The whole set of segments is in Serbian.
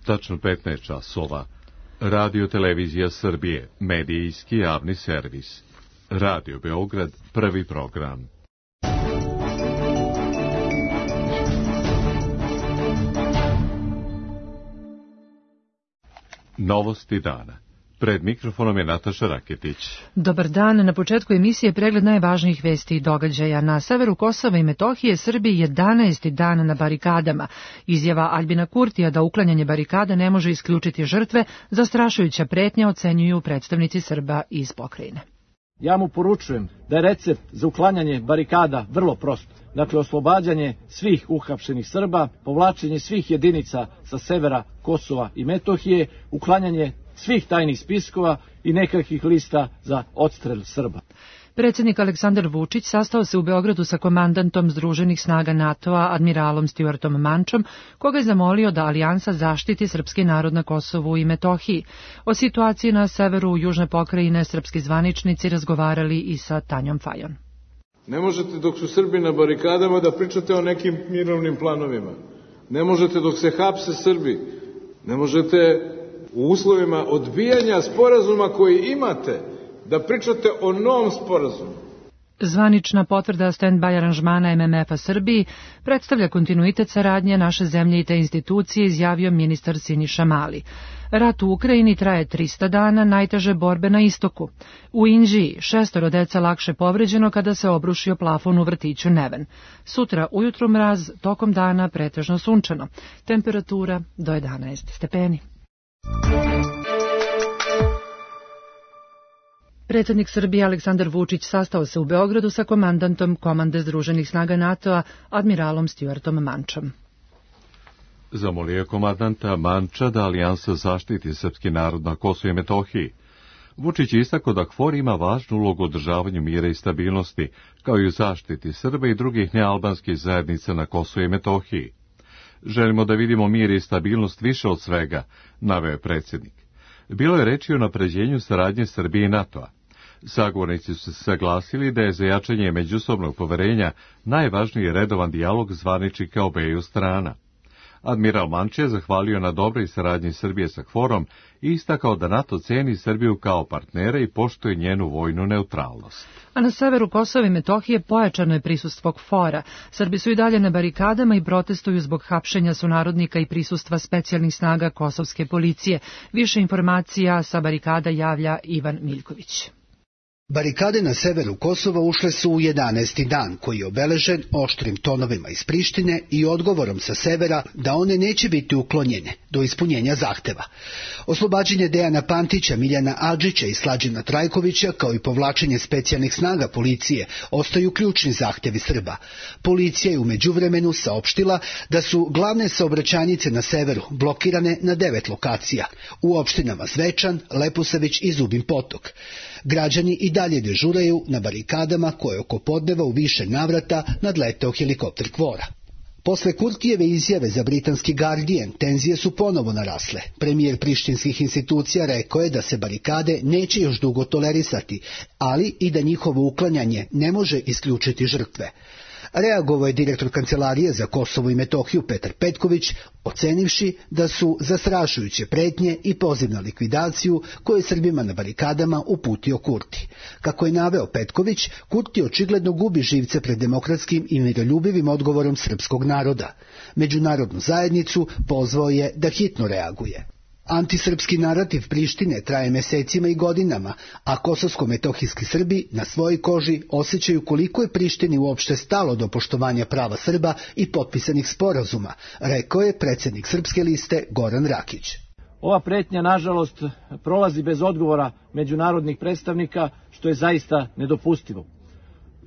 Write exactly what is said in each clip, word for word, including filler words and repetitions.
tačno petnaest časova. Radio Televizija Srbije, medijski javni servis. Radio Beograd, prvi program. Novosti dana. Pred mikrofonom je Nataša Raketić. Dobar dan. Na početku emisije pregled najvažnijih vesti i događaja. Na severu Kosova i Metohije Srbiji jedanaesti dan na barikadama. Izjava Aljbina Kurtija da uklanjanje barikada ne može isključiti žrtve, zastrašujuća pretnja, ocenjuju predstavnici Srba iz pokrajine. Ja mu poručujem da je recept za uklanjanje barikada vrlo prost. Dakle, oslobađanje svih uhapšenih Srba, povlačenje svih jedinica sa severa Kosova i Metohije, uklanjanje svih tajnih spiskova i nekakvih lista za odstrel Srba. Predsjednik Aleksandar Vučić sastao se u Beogradu sa komandantom Združenih snaga NATO-a, admiralom Stuartom Mančom, koga je zamolio da alijansa zaštiti srpski narod na Kosovu i Metohiji. O situaciji na severu južne pokrajine srpski zvaničnici razgovarali i sa Tanjom Fajon. Ne možete dok su Srbi na barikadama da pričate o nekim mirovnim planovima. Ne možete dok se hapse Srbi. Ne možete u uslovima odbijanja sporazuma koji imate da pričate o novom sporazumu. Zvanična potvrda stand-by aranžmana M M F-a Srbiji predstavlja kontinuitet saradnje naše zemlje i te institucije, izjavio ministar Siniša Mali. Rat u Ukrajini traje trista dana, najteže borbe na istoku. U Inđiji šestoro deca lakše povređeno kada se obrušio plafon u vrtiću Neven. Sutra ujutru mraz, tokom dana pretežno sunčano. Temperatura do jedanaest stepeni. Predsjednik Srbije Aleksandar Vučić sastao se u Beogradu sa komandantom Komande Združenih snaga NATO-a, admiralom Stuartom Mančom. Zamolio je komandanta Manča da alijansa zaštiti srpski narod na Kosovu i Metohiji. Vučić je istakao da KFOR ima važnu ulogu u održavanju mira i stabilnosti, kao i u zaštiti Srba i drugih nealbanskih zajednica na Kosovu i Metohiji. Želimo da vidimo mir i stabilnost više od svega, naveo je predsjednik. Bilo je reči o napređenju saradnje Srbije i NATO-a. Sagovornici su se saglasili da je za jačanje međusobnog poverenja najvažniji redovan dijalog zvaničnika obeju strana. Admiral Manč je zahvalio na dobroj saradnji Srbije sa KFOR-om i istakao da NATO ceni Srbiju kao partnera i poštuje njenu vojnu neutralnost. A na severu Kosova i Metohije pojačano je prisustvo KFOR-a. Srbi su i dalje na barikadama i protestuju zbog hapšenja sunarodnika i prisustva specijalnih snaga kosovske policije. Više informacija sa barikada javlja Ivan Miljković. Barikade na severu Kosova ušle su u jedanaesti dan, koji je obeležen oštrim tonovima iz Prištine i odgovorom sa severa da one neće biti uklonjene do ispunjenja zahteva. Oslobađanje Dejana Pantića, Miljana Adžića i Slađana Trajkovića, kao i povlačenje specijalnih snaga policije, ostaju ključni zahtevi Srba. Policija je u međuvremenu saopštila da su glavne saobraćajnice na severu blokirane na devet lokacija, u opštinama Zvečan, Leposavić i Zubin Potok. Građani i dalje dežuraju na barikadama koje oko podneva u više navrata nadleteo helikopter KFOR-a. Posle Kurtijeve izjave za britanski Guardian, tenzije su ponovo narasle. Premijer prištinskih institucija rekao je da se barikade neće još dugo tolerisati, ali i da njihovo uklanjanje ne može isključiti žrtve. Reagovao je direktor Kancelarije za Kosovo i Metohiju Petar Petković, ocenivši da su zastrašujuće pretnje i poziv na likvidaciju koje je Srbima na barikadama uputio Kurti. Kako je naveo Petković, Kurti očigledno gubi živce pred demokratskim i miroljubivim odgovorom srpskog naroda. Međunarodnu zajednicu pozvao je da hitno reaguje. Antisrpski narativ Prištine traje mesecima i godinama, a kosovsko-metohijski Srbi na svojoj koži osjećaju koliko je Prištini uopšte stalo do poštovanja prava Srba i potpisanih sporazuma, rekao je predsjednik Srpske liste Goran Rakić. Ova pretnja, nažalost, prolazi bez odgovora međunarodnih predstavnika, što je zaista nedopustivo.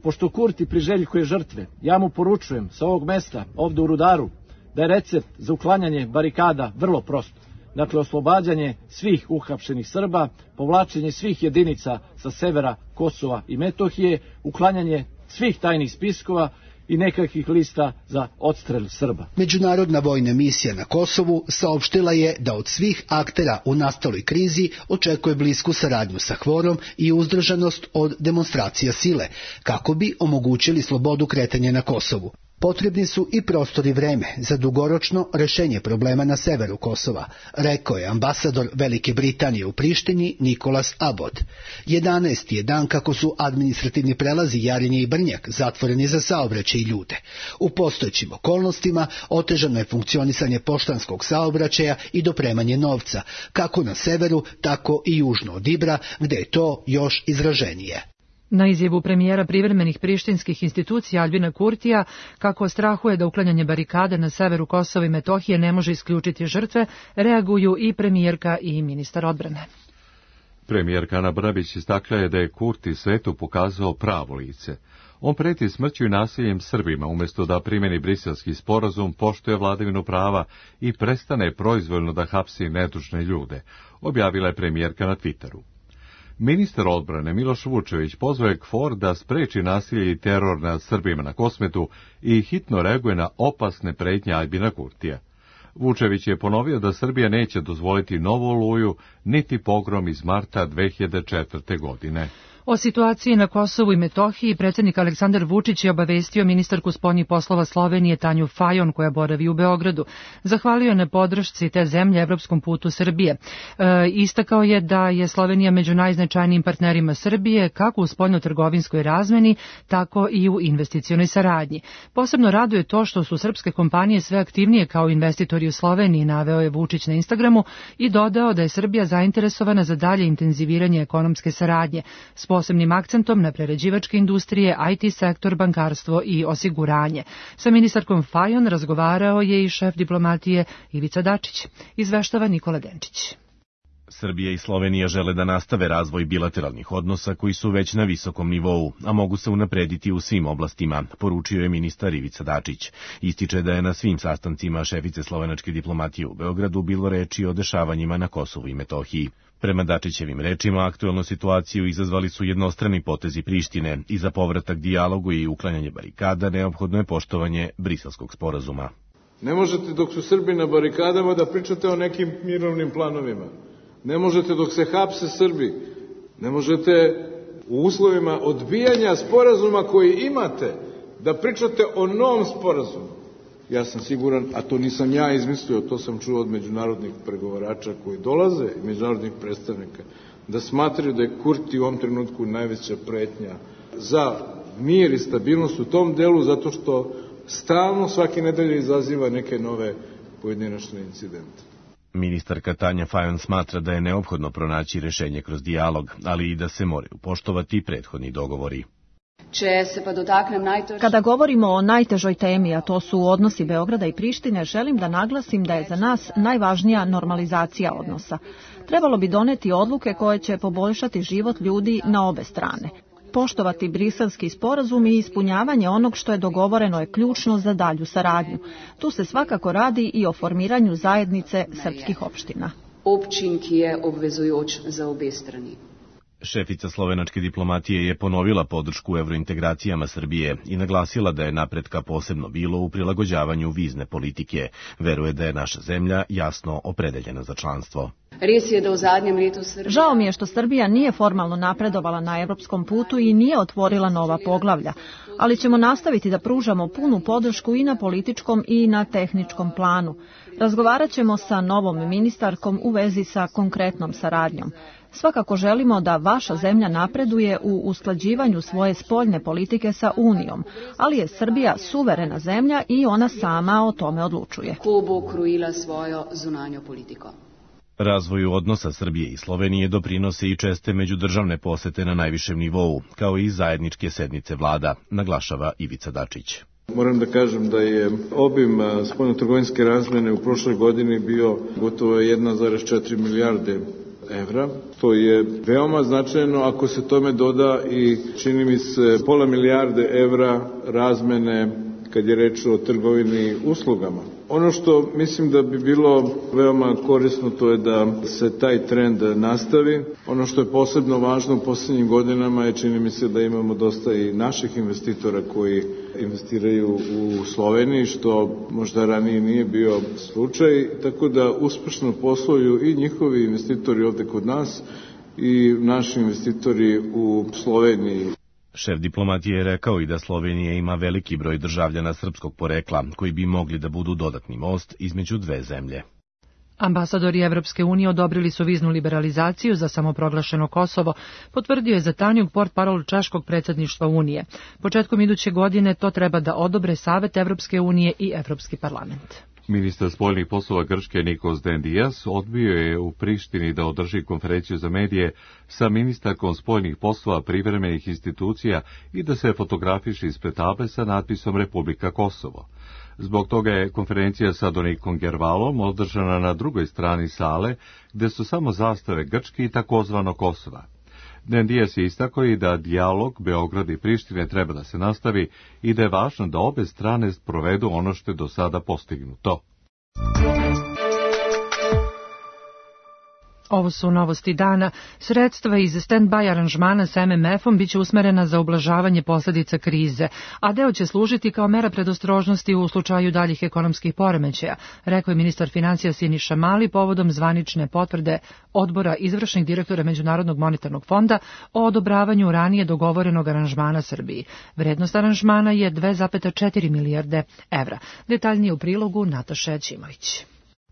Pošto Kurti priželjkuje žrtve, ja mu poručujem sa ovog mesta, ovde u Rudaru, da je recept za uklanjanje barikada vrlo prost. Dakle, oslobađanje svih uhapšenih Srba, povlačenje svih jedinica sa severa Kosova i Metohije, uklanjanje svih tajnih spiskova i nekakvih lista za odstrel Srba. Međunarodna vojna misija na Kosovu saopštila je da od svih aktera u nastaloj krizi očekuje blisku saradnju sa KFOR-om i uzdržanost od demonstracija sile, kako bi omogućili slobodu kretanja na Kosovu. Potrebni su i prostor i vreme za dugoročno rešenje problema na severu Kosova, rekao je ambasador Velike Britanije u Prištini Nikolas Abbott. jedanaesti je dan kako su administrativni prelazi Jarinje i Brnjak zatvoreni za saobraćaj i ljude. U postojećim okolnostima otežano je funkcionisanje poštanskog saobraćaja i dopremanje novca, kako na severu, tako i južno od Ibra, gde je to još izraženije. Na izjavu premijera privremenih prištinskih institucija Albina Kurtija, kako strahuje da uklanjanje barikade na severu Kosova i Metohije ne može isključiti žrtve, reaguju i premijerka i ministar odbrane. Premijerka Ana Brnabić istakla je da je Kurti svetu pokazao pravo lice. On preti smrću i nasiljem Srbima, umjesto da primjeni briselski sporazum, poštuje vladavinu prava i prestane proizvoljno da hapsi nedužne ljude, objavila je premijerka na Twitteru. Ministar odbrane Miloš Vučević pozvao je KFOR da spreči nasilje i teror nad Srbima na Kosmetu i hitno reaguje na opasne pretnje Albina Kurtija. Vučević je ponovio da Srbija neće dozvoliti novu oluju, niti pogrom iz marta dve hiljade četvrte. godine. O situaciji na Kosovu i Metohiji predsjednik Aleksandar Vučić je obavestio ministarku spoljnih poslova Slovenije Tanju Fajon, koja boravi u Beogradu. Zahvalio je na podršci te zemlje evropskom putu Srbije. E, istakao je da je Slovenija među najznačajnijim partnerima Srbije, kako u spoljno-trgovinskoj razmeni, tako i u investicionoj saradnji. Posebno raduje to što su srpske kompanije sve aktivnije kao investitori u Sloveniji, naveo je Vučić na Instagramu i dodao da je Srbija zainteresovana za dalje intenziviranje ekonomske saradnje, s posebnim akcentom na prerađivačke industrije, I T sektor, bankarstvo i osiguranje. Sa ministarkom Fajon razgovarao je i šef diplomatije Ivica Dačić. Izveštava Nikola Denčić. Srbija i Slovenija žele da nastave razvoj bilateralnih odnosa koji su već na visokom nivou, a mogu se unaprediti u svim oblastima, poručio je ministar Ivica Dačić. Ističe da je na svim sastancima šefice slovenačke diplomatije u Beogradu bilo reči o dešavanjima na Kosovu i Metohiji. Prema Dačićevim rečima, aktuelnu situaciju izazvali su jednostrani potezi Prištine i za povratak dijalogu i uklanjanje barikada neophodno je poštovanje Briselskog sporazuma. Ne možete dok su Srbi na barikadama da pričate o nekim mirovnim planovima. Ne možete dok se hapse Srbi. Ne možete u uslovima odbijanja sporazuma koji imate da pričate o novom sporazumu. Ja sam siguran, a to nisam ja izmislio, to sam čuo od međunarodnih pregovarača koji dolaze i međunarodnih predstavnika, da smatraju da je Kurti u ovom trenutku najveća pretnja za mir i stabilnost u tom delu, zato što stalno svake nedelje izaziva neke nove pojedinačne incidente. Ministarka Tanja Fajon smatra da je neophodno pronaći rešenje kroz dijalog, ali i da se moraju poštovati prethodni dogovori. Kada govorimo o najtežoj temi, a to su odnosi Beograda i Prištine, želim da naglasim da je za nas najvažnija normalizacija odnosa. Trebalo bi doneti odluke koje će poboljšati život ljudi na obe strane. Poštovati briselski sporazum i ispunjavanje onog što je dogovoreno je ključno za dalju saradnju. Tu se svakako radi i o formiranju zajednice srpskih opština. Općin, ki je obvezujoč za obe strani. Šefica slovenačke diplomatije je ponovila podršku evrointegracijama Srbije i naglasila da je napretka posebno bilo u prilagođavanju vizne politike. Veruje da je naša zemlja jasno opredeljena za članstvo. Res je da u zadnjem letu Srbija... Žao mi je što Srbija nije formalno napredovala na evropskom putu i nije otvorila nova poglavlja, ali ćemo nastaviti da pružamo punu podršku i na političkom i na tehničkom planu. Razgovarat ćemo sa novom ministarkom u vezi sa konkretnom saradnjom. Svakako želimo da vaša zemlja napreduje u usklađivanju svoje spoljne politike sa Unijom, ali je Srbija suverena zemlja i ona sama o tome odlučuje. Ko bo krojila svojo zunanjo politiko? Razvoju odnosa Srbije i Slovenije doprinose i česte međudržavne posete na najvišem nivou, kao i zajedničke sednice vlada, naglašava Ivica Dačić. Moram da kažem da je obim spoljnotrgovinske razmene u prošloj godini bio gotovo jedna zarez četiri milijarde evra. To je veoma značajno ako se tome doda i čini mi se pola milijarde evra razmene kad je reč o trgovini uslugama. Ono što mislim da bi bilo veoma korisno to je da se taj trend nastavi. Ono što je posebno važno u posljednjim godinama je čini mi se da imamo dosta i naših investitora koji investiraju u Sloveniji, što možda ranije nije bio slučaj, tako da uspešno posluju i njihovi investitori ovde kod nas i naši investitori u Sloveniji. Šef diplomatije je rekao i da Slovenija ima veliki broj državljana srpskog porekla, koji bi mogli da budu dodatni most između dve zemlje. Ambasadori Evropske unije odobrili su viznu liberalizaciju za samoproglašeno Kosovo, potvrdio je za Tanjug portparol češkog predsjedništva Unije. Početkom iduće godine to treba da odobre Savet Evropske unije i Evropski parlament. Ministar spoljnih poslova Grčke Nikos Dendias odbio je u Prištini da održi konferenciju za medije sa ministarkom spoljnih poslova privremenih institucija i da se fotografiše ispred table sa natpisom Republika Kosovo. Zbog toga je konferencija sa Donikom Gervalom održana na drugoj strani sale, gde su samo zastave Grčke i takozvano Kosova. Dendias je istakao i da dijalog Beograda i Prištine treba da se nastavi i da je važno da obe strane provedu ono što je do sada postignuto. Ovo su novosti dana. Sredstva iz stand-by aranžmana sa M M F-om biće usmerena za ublažavanje posljedica krize, a deo će služiti kao mera predostrožnosti u slučaju daljih ekonomskih poremećaja, rekao je ministar financija Siniša Mali povodom zvanične potvrde Odbora izvršnih direktora Međunarodnog monetarnog fonda o odobravanju ranije dogovorenog aranžmana Srbiji. Vrednost aranžmana je dve zarez četiri milijarde evra. Detaljnije u prilogu Nataša Ćimović.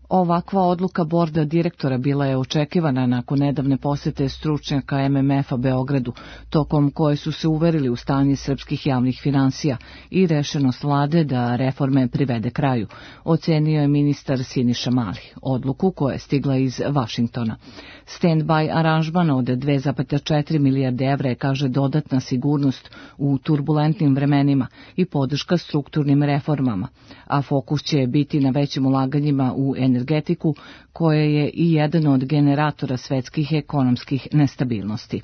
Ovakva odluka borda direktora bila je očekivana nakon nedavne posete stručnjaka M M F-a Beogradu, tokom koje su se uverili u stanje srpskih javnih finansija i rešenost vlade da reforme privede kraju, ocenio je ministar Siniša Mali, odluku koja je stigla iz Vašingtona. Stand-by aranžman od dve zarez četiri milijarde evra je, kaže, dodatna sigurnost u turbulentnim vremenima i podrška strukturnim reformama, a fokus će biti na većim ulaganjima u energetiku, koja je i jedan od generatora svetskih ekonomskih nestabilnosti.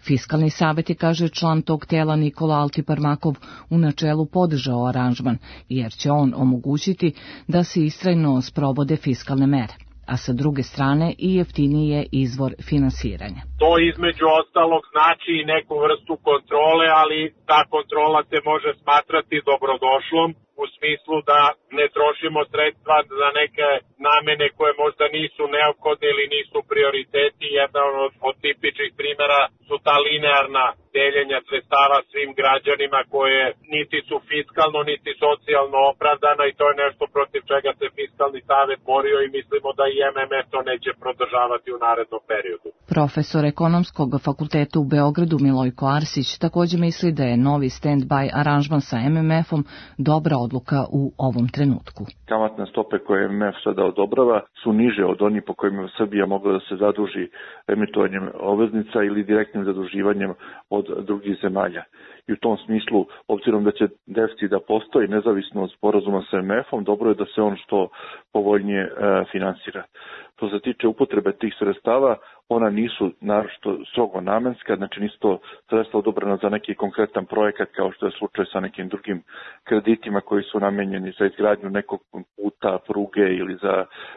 Fiskalni savjet je, kaže član tog tela Nikola Altiparmakov, u načelu podržao aranžman, jer će on omogućiti da se istrajno sprovode fiskalne mere, a sa druge strane i jeftiniji je izvor finansiranja. To između ostalog znači i neku vrstu kontrole, ali ta kontrola se može smatrati dobrodošlom u smislu da ne trošimo sredstva za neke namene koje možda nisu neophodne ili nisu prioriteti. Jedna od, od tipičnih primjera su ta linearna deljenja sredstava svim građanima koje niti su fiskalno niti socijalno opravdana i to je nešto protiv čega se Fiskalni savet borio i mislimo da i M M F to neće prodržavati u narednom periodu. Profesor ekonomskog fakulteta u Beogradu Milojko Arsić također misli da je novi stand-by aranžman sa M M F-om dobra odluka u ovom trenutku. Kamatne stope koje M M F sada odobrava su niže od onih po kojima Srbija mogla da se zaduži emitovanjem obveznica ili direktnim zaduživanjem od drugih zemalja. I u tom smislu, obzirom da će deficit da postoji nezavisno od sporazuma sa M M F-om, dobro je da se on što povoljnije e, finansira. Što se tiče upotrebe tih sredstava, ona nisu naročito strogo namenska, znači nisu to sredstva odobrena za neki konkretan projekat kao što je slučaj sa nekim drugim kreditima koji su namenjeni za izgradnju nekog puta, pruge ili za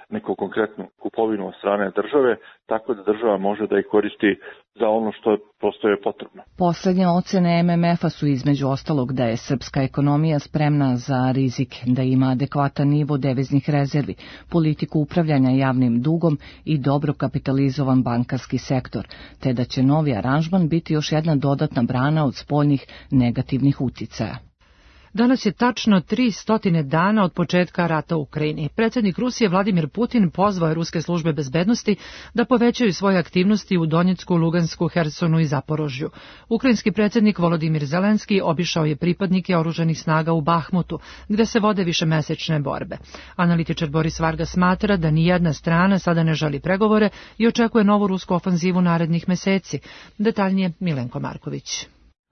neku konkretnu kupovinu od strane države, tako da država može da ih koristi za ono što prosto je potrebno. Poslednje ocene M M F-a su između ostalog da je srpska ekonomija spremna za rizik, da ima adekvatan nivo deviznih rezervi, politiku upravljanja javnim dugom i dobro kapitalizovan bankarski sektor, te da će novi aranžman biti još jedna dodatna brana od spoljnih negativnih uticaja. Danas je tačno tri stotine dana od početka rata u Ukrajini. Predsjednik Rusije Vladimir Putin pozvao je ruske službe bezbednosti da povećaju svoje aktivnosti u Donjecku, Lugansku, Hersonu i Zaporožju. Ukrajinski predsjednik Volodimir Zelenski obišao je pripadnike oružanih snaga u Bahmutu, gde se vode višemesečne borbe. Analitičar Boris Varga smatra da nijedna strana sada ne želi pregovore i očekuje novu rusku ofanzivu narednih meseci. Detaljnije Milenko Marković.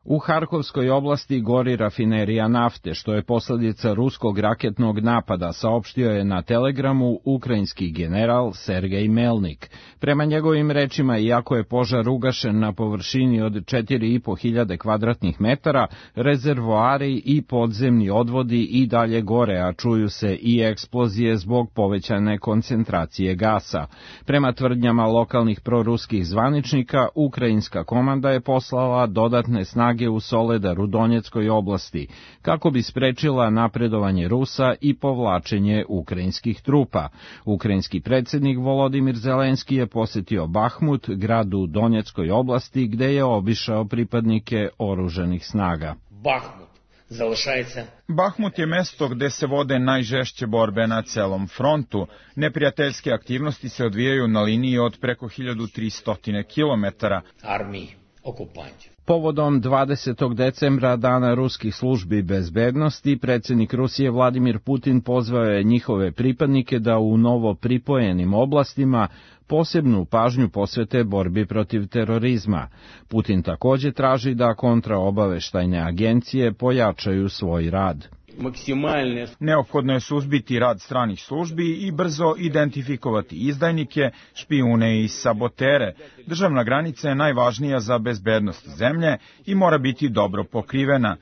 U Harkovskoj oblasti gori rafinerija nafte, što je posljedica ruskog raketnog napada, saopštio je na Telegramu ukrajinski general Sergej Melnik. Prema njegovim rečima, iako je požar ugašen na površini od četiri i po hiljade kvadratnih metara, rezervoari i podzemni odvodi i dalje gore, a čuju se i eksplozije zbog povećane koncentracije gasa. Prema tvrdnjama lokalnih proruskih zvaničnika, ukrajinska komanda je poslala dodatne snage snage u Soledaru, Donjeckoj oblasti, kako bi sprečila napredovanje Rusa i povlačenje ukrajinskih trupa. Ukrajinski predsjednik Volodimir Zelenski je posjetio Bahmut, grad u Donjeckoj oblasti, gde je obišao pripadnike oružanih snaga. Bahmut залишається. Bahmut je mesto gde se vode najžešće borbe na celom frontu. Neprijateljske aktivnosti se odvijaju na liniji od preko hiljadu tristo kilometara. Armiji, okupanti. Povodom dvadesetog decembra, dana ruskih službi bezbednosti, predsjednik Rusije Vladimir Putin pozvao je njihove pripadnike da u novo pripojenim oblastima posebnu pažnju posvete borbi protiv terorizma. Putin također traži da kontraobaveštajne agencije pojačaju svoj rad. Neophodno je suzbiti rad stranih službi i brzo identifikovati izdajnike, špijune i sabotere. Državna granica je najvažnija za bezbednost zemlje i mora biti dobro pokrivena.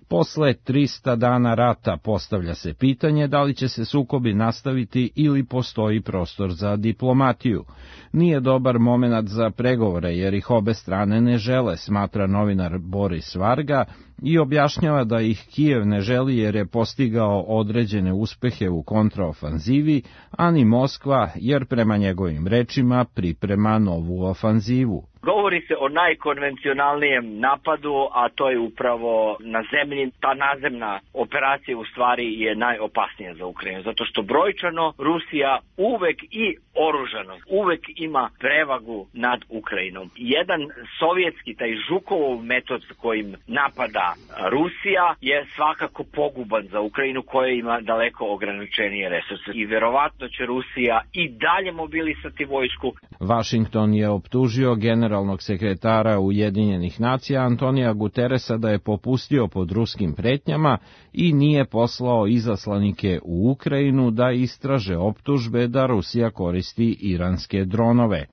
Posle trista dana rata postavlja se pitanje da li će se sukobi nastaviti ili postoji prostor za diplomatiju. Nije dobar momenat za pregovore jer ih obe strane ne žele, smatra novinar Boris Varga i objašnjava da ih Kijev ne želi jer je postigao određene uspehe u kontraofanzivi, a ni Moskva jer prema njegovim rečima priprema novu ofanzivu. Govori se o najkonvencionalnijem napadu, a to je upravo na zemlji. Ta nazemna operacija u stvari je najopasnija za Ukrajinu, zato što brojčano Rusija uvek i oružano uvek ima prevagu nad Ukrajinom. Jedan sovjetski, taj Žukovov metod kojim napada Rusija je svakako poguban za Ukrajinu koja ima daleko ograničenije resurse. I verovatno će Rusija i dalje mobilisati vojsku. Washington je optužio generalnog sekretara Ujedinjenih nacija Antonija Guteresa da je popustio pod ruskim pretnjama i nije poslao izaslanike u Ukrajinu da istraže optužbe da Rusija koristi iranske dronove.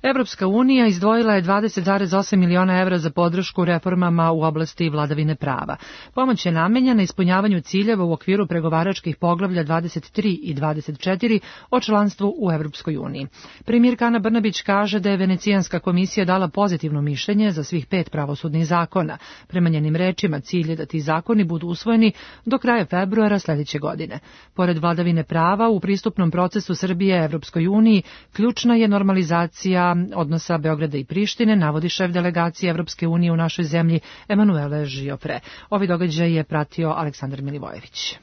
Evropska unija izdvojila je dvadeset zarez osam miliona evra za podršku reformama u oblasti vladavine prava. Pomoć je namenjena ispunjavanju ciljeva u okviru pregovaračkih poglavlja dvadeset tri i dvadeset četiri o članstvu u Evropskoj uniji. Premijerka Ana Brnabić kaže da je Venecijanska komisija dala pozitivno mišljenje za svih pet pravosudnih zakona. Prema njenim rečima, cilj je da ti zakoni budu usvojeni do kraja februara sljedeće godine. Pored vladavine prava, u pristupnom procesu Srbije Evropskoj uniji ključna je normalizacija odnosa Beograda i Prištine, navodi šef delegacije Evropske unije u našoj zemlji Emanuele Žiofre. Ovi događaj je pratio Aleksandar Milivojević.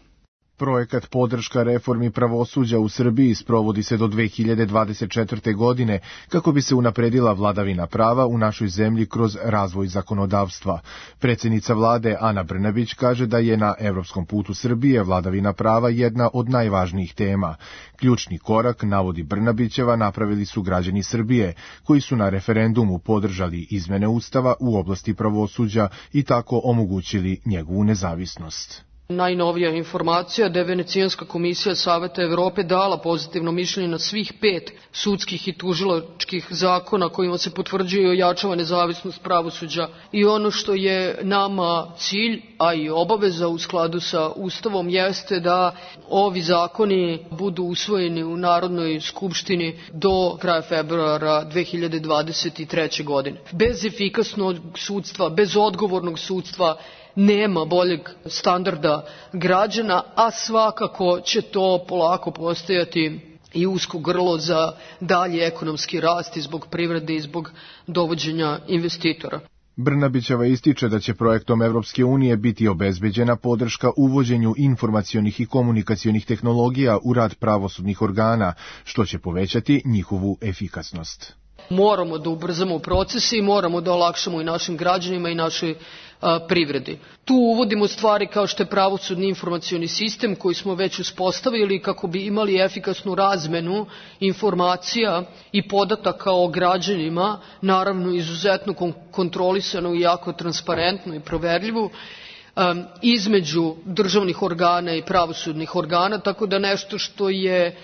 Projekat podrška reformi pravosuđa u Srbiji sprovodi se do dve hiljade dvadeset četvrte. godine kako bi se unapredila vladavina prava u našoj zemlji kroz razvoj zakonodavstva. Predsjednica vlade Ana Brnabić kaže da je na evropskom putu Srbije vladavina prava jedna od najvažnijih tema. Ključni korak, navodi Brnabićeva, napravili su građani Srbije, koji su na referendumu podržali izmene Ustava u oblasti pravosuđa i tako omogućili njegovu nezavisnost. Najnovija informacija da je Venecijanska komisija Saveta Evrope dala pozitivno mišljenje na svih pet sudskih i tužilačkih zakona kojima se potvrđuje i ojačava nezavisnost pravosuđa. I ono što je nama cilj, a i obaveza u skladu sa Ustavom, jeste da ovi zakoni budu usvojeni u Narodnoj skupštini do kraja februara dve hiljade dvadeset treće. godine. Bez efikasnog sudstva, bez odgovornog sudstva, nema boljeg standarda građana, a svakako će to polako postajati i usko grlo za dalji ekonomski rast i zbog privrede i zbog dovođenja investitora. Brnabićeva ističe da će projektom Evropske unije biti obezbeđena podrška uvođenju informacionih i komunikacionih tehnologija u rad pravosudnih organa, što će povećati njihovu efikasnost. Moramo da ubrzamo procese i moramo da olakšamo i našim građanima i našoj a, privredi. Tu uvodimo stvari kao što je pravosudni informacioni sistem koji smo već uspostavili kako bi imali efikasnu razmenu informacija i podataka o građanima, naravno izuzetno kontrolisano i jako transparentno i proverljivo, um, između državnih organa i pravosudnih organa, tako da nešto što je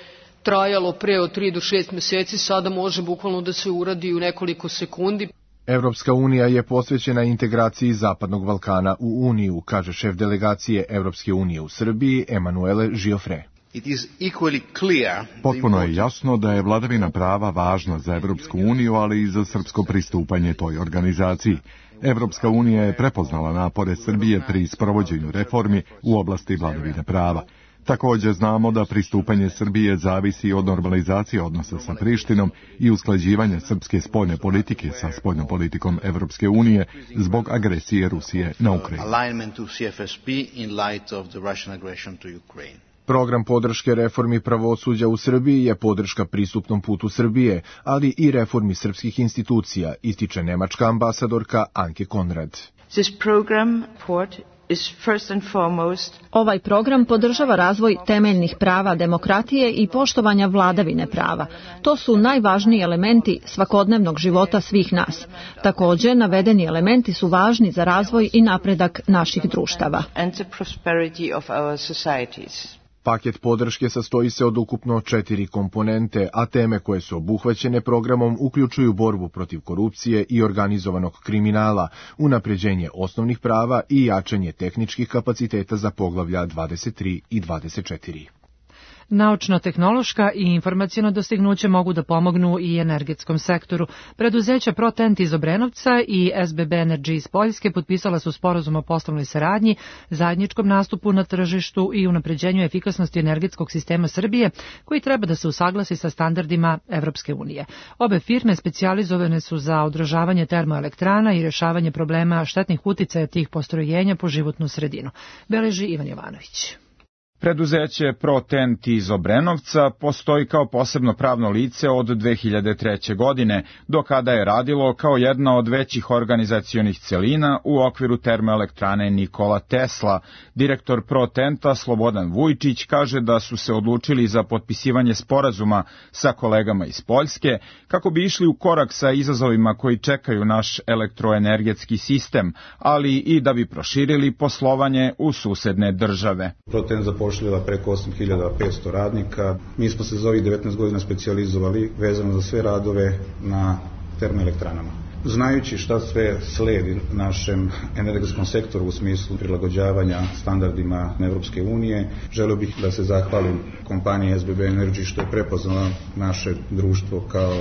trajalo pre od tri do šest meseci, sada može bukvalno da se uradi u nekoliko sekundi. Evropska unija je posvećena integraciji Zapadnog Balkana u Uniju, kaže šef delegacije Evropske unije u Srbiji Emanuele Žiofre. Potpuno je jasno da je vladavina prava važna za Evropsku uniju, ali i za srpsko pristupanje toj organizaciji. Evropska unija je prepoznala napore Srbije pri sprovođenju reformi u oblasti vladavine prava. Također znamo da pristupanje Srbije zavisi od normalizacije odnosa sa Prištinom i usklađivanja srpske spoljne politike sa spoljnom politikom Evropske unije zbog agresije Rusije na Ukrajinu. Program podrške reformi pravosuđa u Srbiji je podrška pristupnom putu Srbije, ali i reformi srpskih institucija, ističe nemačka ambasadorka Anke Konrad. This program is first and foremost Ovaj program podržava razvoj temeljnih prava demokratije i poštovanja vladavine prava. To su najvažniji elementi svakodnevnog života svih nas. Također, navedeni elementi su važni za razvoj i napredak naših društava. and the prosperity of our societies. Paket podrške sastoji se od ukupno četiri komponente, a teme koje su obuhvaćene programom uključuju borbu protiv korupcije i organizovanog kriminala, unapređenje osnovnih prava i jačanje tehničkih kapaciteta za poglavlja dvadeset tri i dvadeset četiri. Naučno-tehnološka i informacijono dostignuće mogu da pomognu i energetskom sektoru. Preduzeća ProTent iz Obrenovca i S B B Energy iz Poljske potpisala su sporazum o poslovnoj saradnji, zajedničkom nastupu na tržištu i unapređenju efikasnosti energetskog sistema Srbije, koji treba da se usaglasi sa standardima Evropske unije. Obe firme specijalizovane su za održavanje termoelektrana i rešavanje problema štetnih uticaja tih postrojenja po životnu sredinu. Beleži Ivan Jovanović. Preduzeće ProTent iz Obrenovca postoji kao posebno pravno lice od dve hiljade treće. godine, do kada je radilo kao jedna od većih organizacionih celina u okviru termoelektrane Nikola Tesla. Direktor ProTenta Slobodan Vujčić kaže da su se odlučili za potpisivanje sporazuma sa kolegama iz Poljske kako bi išli u korak sa izazovima koji čekaju naš elektroenergetski sistem, ali i da bi proširili poslovanje u susedne države. ProTent zapošljava preko osam hiljada petsto radnika. Mi smo se za ovih devetnaest godina specijalizovali vezano za sve radove na termoelektranama. Znajući šta sve sledi našem energetskom sektoru u smislu prilagođavanja standardima Evropske unije, želeo bih da se zahvalim kompaniji S B B Energy što je prepoznala naše društvo kao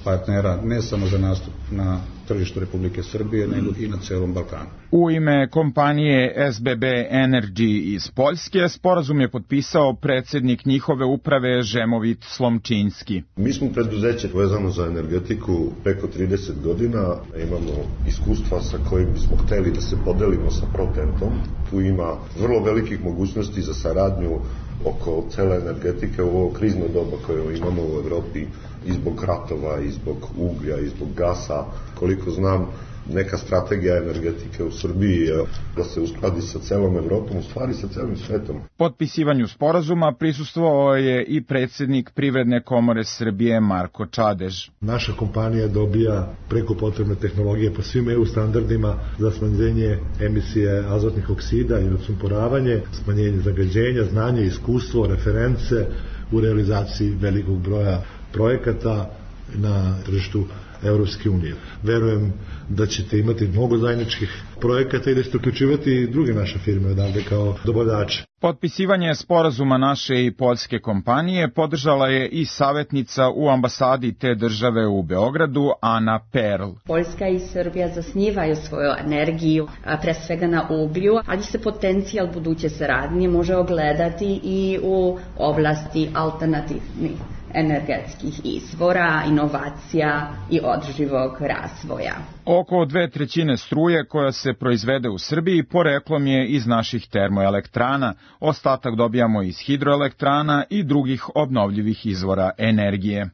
partnera ne samo za nastup na tržištu Republike Srbije, nego i na celom Balkanu. U ime kompanije S B B Energy iz Poljske sporazum je potpisao predsjednik njihove uprave Žemovit Slomčinski. Mi smo preduzeće vezano za energetiku preko trideset godina, imamo iskustva sa kojim bismo hteli da se podelimo sa ProTentom. Tu ima vrlo velikih mogućnosti za saradnju oko cele energetike u ovo krizno doba koje imamo u Evropi i zbog ratova, i zbog uglja, i zbog gasa. Koliko znam, neka strategija energetike u Srbiji je da se uskladi sa celom Evropom, u stvari sa celim svetom. Potpisivanju sporazuma prisustvovao je i predsjednik Privredne komore Srbije Marko Čadež. Naša kompanija dobija preko potrebne tehnologije po svim E U standardima za smanjenje emisije azotnih oksida i odsumporavanje, smanjenje zagađenja, znanje, iskustvo, reference u realizaciji velikog broja projekata na tržištu Evropske unije. Verujem da ćete imati mnogo zajedničkih projekata i da ćete uključivati druge naše firme odavde kao dobavljače. Potpisivanje sporazuma naše i poljske kompanije podržala je i savjetnica u ambasadi te države u Beogradu, Ana Perl. Poljska i Srbija zasnivaju svoju energiju, pre svega na uglju, ali se potencijal buduće saradnje može ogledati i u oblasti alternativnih energetskih izvora, inovacija i održivog razvoja. Oko dve trećine struje koja se proizvede u Srbiji poreklom je iz naših termoelektrana, ostatak dobijamo iz hidroelektrana i drugih obnovljivih izvora energije.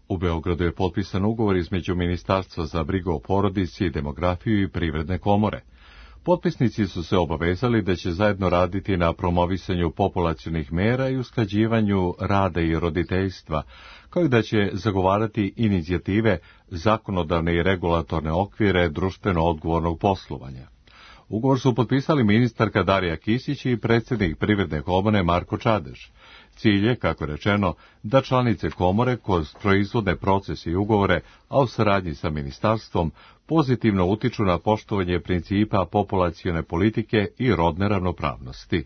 U Beogradu je potpisan ugovor između Ministarstva za brigu o porodici, demografiju i Privredne komore. Potpisnici su se obavezali da će zajedno raditi na promovisanju populacionih mera i usklađivanju rada i roditeljstva, kao i da će zagovarati inicijative, zakonodavne i regulatorne okvire društveno odgovornog poslovanja. Ugovor su potpisali ministarka Darija Kisić i predsjednik Privredne komore Marko Čadež. Cilj je, kako rečeno, da članice komore kroz proizvodne procese i ugovore, a u saradnji sa ministarstvom, pozitivno utiču na poštovanje principa populacione politike i rodne ravnopravnosti.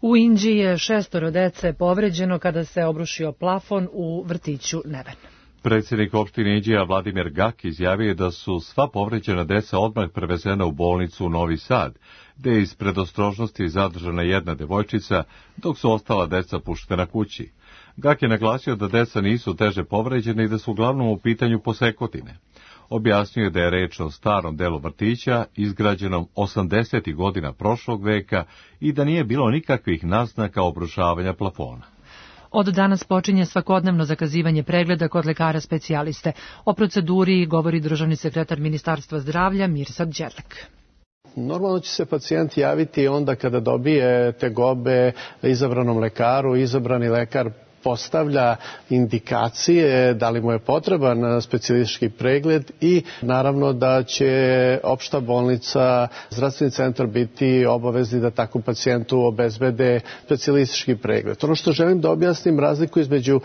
U Inđiji je šestoro dece povređeno kada se obrušio plafon u vrtiću Neven. Predsjednik opštine Inđija Vladimir Gak izjavio da su sva povređena deca odmah prevezena u bolnicu u Novi Sad, gde je iz predostrožnosti zadržana jedna devojčica, dok su ostala deca puštena kući. Gak je naglasio da deca nisu teže povređene i da su uglavnom u pitanju posekotine. Objasnio je da je reč o starom delu vrtića, izgrađenom osamdesetih godina prošlog veka i da nije bilo nikakvih naznaka obrušavanja plafona. Od danas počinje svakodnevno zakazivanje pregleda kod lekara specijaliste. O proceduri govori državni sekretar Ministarstva zdravlja Mirsad Đerlek. Normalno će se pacijent javiti onda kada dobije tegobe izabranom lekaru, izabrani lekar postavlja indikacije da li mu je potreban specijalistički pregled i naravno da će opšta bolnica, zdravstveni centar biti obavezni da takvom pacijentu obezbede specijalistički pregled. Ono što želim da objasnim razliku između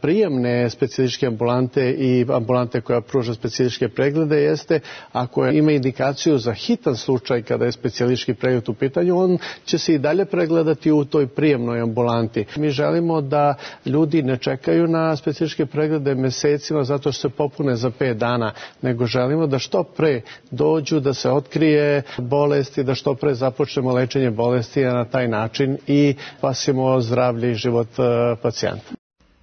prijemne specijalističke ambulante i ambulante koja pruža specijalističke preglede jeste ako ima indikaciju za hitan slučaj kada je specijalistički pregled u pitanju, on će se i dalje pregledati u toj prijemnoj ambulanti. Mi želimo da ljudi ne čekaju na specijalističke preglede mesecima zato što se popune za pet dana, nego želimo da što pre dođu, da se otkrije bolesti, da što pre započnemo lečenje bolesti na taj način i spasimo zdravlje i život pacijenta.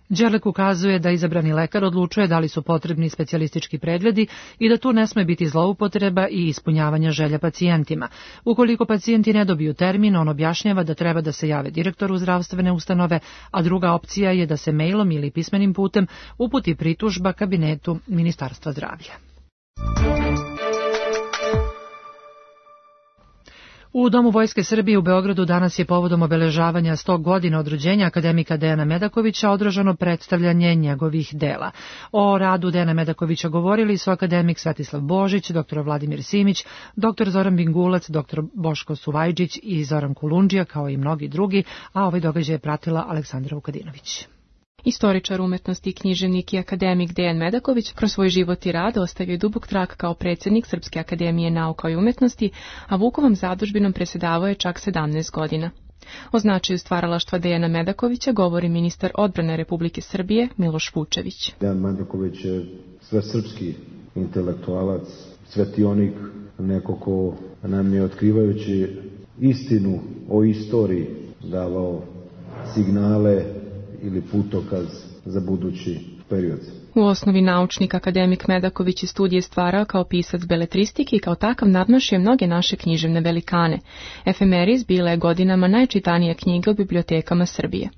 Đerlek ukazuje da izabrani lekar odlučuje da li su potrebni specijalistički pregledi i da tu ne sme biti zloupotreba i ispunjavanja želja pacijentima. Ukoliko pacijenti ne dobiju termin, on objašnjava da treba da se jave direktoru zdravstvene ustanove, a druga opcija je da se mailom ili pismenim putem uputi pritužba kabinetu Ministarstva zdravlja. U Domu Vojske Srbije u Beogradu danas je povodom obeležavanja sto godina od rođenja akademika Dejana Medakovića održano predstavljanje njegovih dela. O radu Dejana Medakovića govorili su akademik Svetislav Božić, doktor Vladimir Simić, doktor Zoran Bingulac, doktor Boško Suvajđić i Zoran Kulundžija, kao i mnogi drugi, a ovaj događaj je pratila Aleksandra Vukadinović. Istoričar umetnosti, književnik i akademik Dejan Medaković kroz svoj život i rad ostavio je dubok trag kao predsjednik Srpske akademije nauka i umetnosti, a Vukovom zadužbinom predsjedavao je čak sedamnaest godina. O značaju stvaralaštva Dejana Medakovića govori ministar odbrane Republike Srbije Miloš Vučević. Dejan Medaković je svesrpski intelektualac, svetionik, neko ko nam je otkrivajući istinu o istoriji davao signale ili putokaz za budući period. U osnovi naučnik akademik Medaković i studije stvarao kao pisac beletristike i kao takav nadmašio mnoge naše književne velikane. Efemeris bila je godinama najčitanija knjiga u bibliotekama Srbije.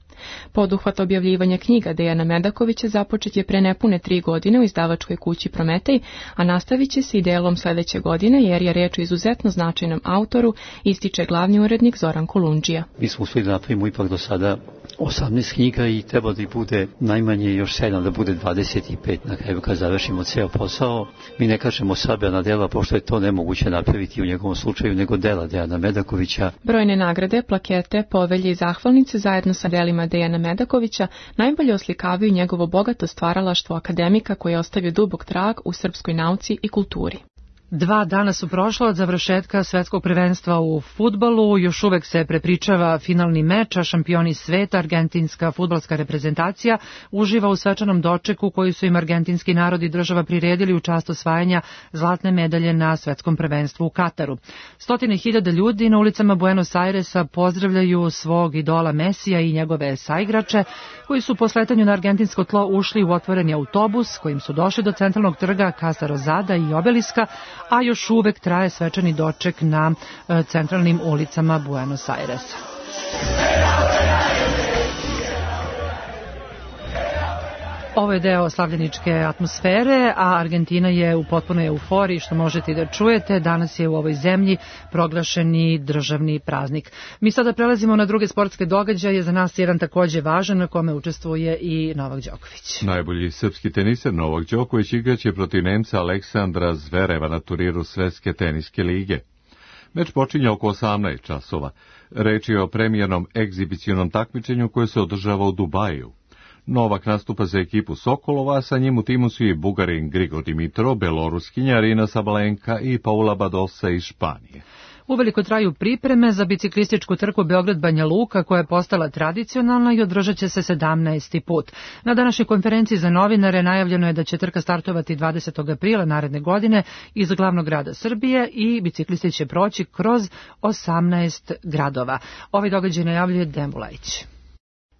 Poduhvat objavljivanja knjiga Dejana Medakovića započet je pre nepune tri godine u izdavačkoj kući Prometej, a nastavit će se i delom sledeće godine jer je reč o izuzetno značajnom autoru, ističe glavni urednik Zoran Kulundžija. Mi smo uspjeli da napravimo ipak do sada osamnaest knjiga i treba da ih bude najmanje još sedam, da bude dvadeset pet na kraju kad završimo ceo posao. Mi ne kažemo sabirna dela, pošto je to nemoguće napraviti u njegovom slučaju, nego dela Dejana Medakovića. Brojne nagrade, plakete, povelje i zahvalnice zajedno sa delima Dejana Medakovića najbolje oslikavaju njegovo bogato stvaralaštvo akademika koji je ostavio dubok trag u srpskoj nauci i kulturi. Dva dana su prošla od završetka svetskog prvenstva u fudbalu, još uvek se prepričava finalni meč, a šampioni sveta, argentinska fudbalska reprezentacija, uživa u svečanom dočeku koji su im argentinski narod i država priredili u čast osvajanja zlatne medalje na svetskom prvenstvu u Kataru. Stotine hiljada ljudi na ulicama Buenos Airesa pozdravljaju svog idola Mesija i njegove saigrače, koji su po sletanju na argentinsko tlo ušli u otvoreni autobus, kojim su došli do centralnog trga Casa Rosada i Obeliska, a još uvek traje svečani doček na centralnim ulicama Buenos Airesa. Ovo je deo slavljeničke atmosfere, a Argentina je u potpunoj euforiji, što možete i da čujete. Danas je u ovoj zemlji proglašeni državni praznik. Mi sada prelazimo na druge sportske događaje, za nas jedan takođe važan, na kome učestvuje i Novak Đoković. Najbolji srpski teniser Novak Đoković igraće protiv Nemca Aleksandra Zvereva na turniru Svetske teniske lige. Meč počinje oko osamnaest časova. Reč je o premijernom egzibicionom takmičenju koje se održava u Dubaju. Novak nastupa za ekipu Sokolova, a sa njim u timu su i Bugarin Grigor Dimitrov, Beloruskinja Arina Sabalenka i Paula Badosa iz Španije. Uveliko traju pripreme za biciklističku trku Beograd-Banja Luka koja je postala tradicionalna i održat će se sedamnaesti put. Na današnjoj konferenciji za novinare najavljeno je da će trka startovati dvadesetog aprila naredne godine iz glavnog grada Srbije i biciklisti će proći kroz osamnaest gradova. Ovaj događaj najavljuje Dembulajić.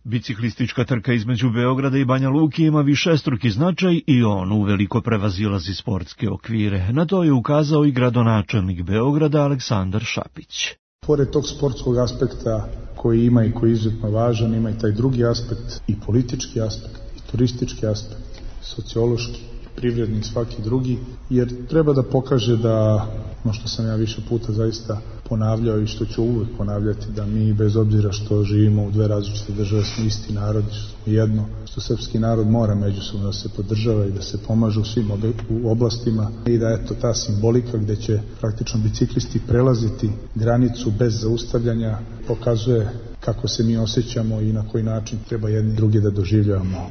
Biciklistička trka između Beograda i Banja Luke ima višestruki značaj i on uveliko prevazilazi sportske okvire. Na to je ukazao i gradonačelnik Beograda Aleksandar Šapić. Pored tog sportskog aspekta koji ima i koji je izuzetno važan, ima i taj drugi aspekt, i politički aspekt, i turistički aspekt, sociološki, privredni i svaki drugi, jer treba da pokaže da, no što sam ja više puta zaista ponavljao i što ću uvek ponavljati, da mi bez obzira što živimo u dve različite države smo isti narod, što smo jedno, što srpski narod mora međusobno da se podržava i da se pomaže u svim u oblastima i da eto ta simbolika gde će praktično biciklisti prelaziti granicu bez zaustavljanja pokazuje kako se mi osjećamo i na koji način treba jedni drugi da doživljavamo.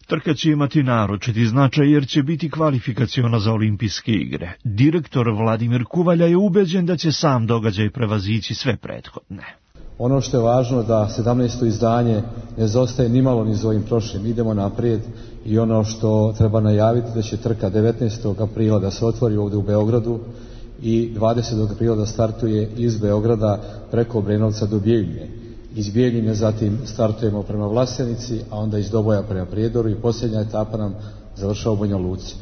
Trka će imati naročiti značaj jer će biti kvalifikaciona za olimpijske igre. Direktor Vladimir Kuvalja je ubeđen da će sam događaj prevazići sve prethodne. Ono što je važno da sedamnaesto izdanje ne zostaje nimalo ni za ovim prošlim. Idemo naprijed i ono što treba najaviti da će trka devetnaestog aprila da se otvori ovdje u Beogradu i dvadesetog aprila da startuje iz Beograda preko Obrenovca do Bijeljine. Iz Bijeljine zatim startujemo prema Vlasenici, a onda iz Doboja prema Prijedoru i posljednja etapa nam završava u Banja Luci.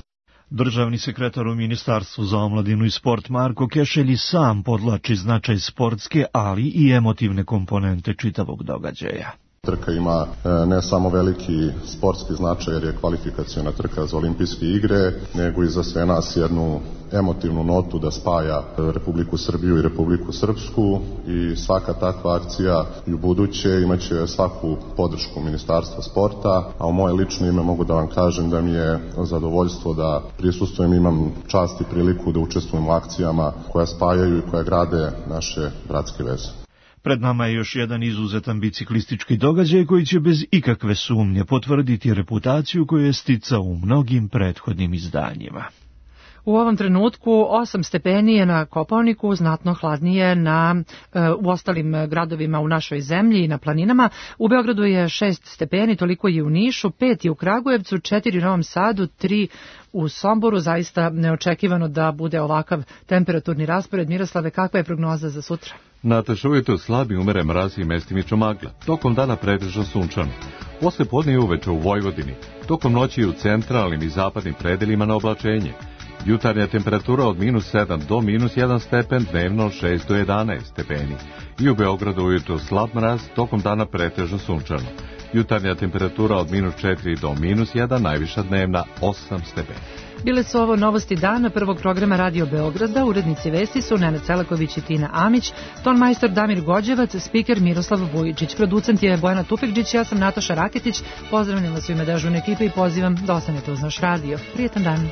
Državni sekretar u Ministarstvu za omladinu i sport Marko Kešelj sam podlači značaj sportske, ali i emotivne komponente čitavog događaja. Trka ima ne samo veliki sportski značaj jer je kvalifikaciona trka za olimpijske igre, nego i za sve nas jednu emotivnu notu da spaja Republiku Srbiju i Republiku Srpsku i svaka takva akcija i u buduće imaće svaku podršku Ministarstva sporta, a u moje lično ime mogu da vam kažem da mi je zadovoljstvo da prisustvujem, imam čast i priliku da učestvujem u akcijama koja spajaju i koja grade naše bratske veze. Pred nama je još jedan izuzetan biciklistički događaj koji će bez ikakve sumnje potvrditi reputaciju koju je sticao u mnogim prethodnim izdanjima. U ovom trenutku osam stepeni je na Kopaoniku, znatno hladnije na, u ostalim gradovima u našoj zemlji i na planinama. U Beogradu je šest stepeni, toliko je u Nišu, pet je u Kragujevcu, četiri u Novom Sadu, tri u Somboru. Zaista neočekivano da bude ovakav temperaturni raspored. Miroslave, kakva je prognoza za sutra? Nataša, ujutro slabi umere mraz i mestimično magla. Tokom dana pretežno sunčano. Posle podne i uveče u Vojvodini. Tokom noći u centralnim i zapadnim predelima na oblačenje. Jutarnja temperatura od minus sedam do minus jedan stepen, dnevno šest do jedanaest stepeni. I u Beogradu ujutro slab mraz, tokom dana pretežno sunčano. Jutarnja temperatura od minus četiri do minus jedan, najviša dnevna osam stepeni. Bile su ovo novosti dana prvog programa Radio Beograda. Urednici vesti su Nenad Celaković i Tina Amić, ton majstor Damir Gođevac, spiker Miroslav Vujičić, producent je Bojana Tupekđić, ja sam Nataša Raketić. Pozdravljam vas u ime dežurne ekipe i pozivam da ostanete uz naš radio. Prijetan dan.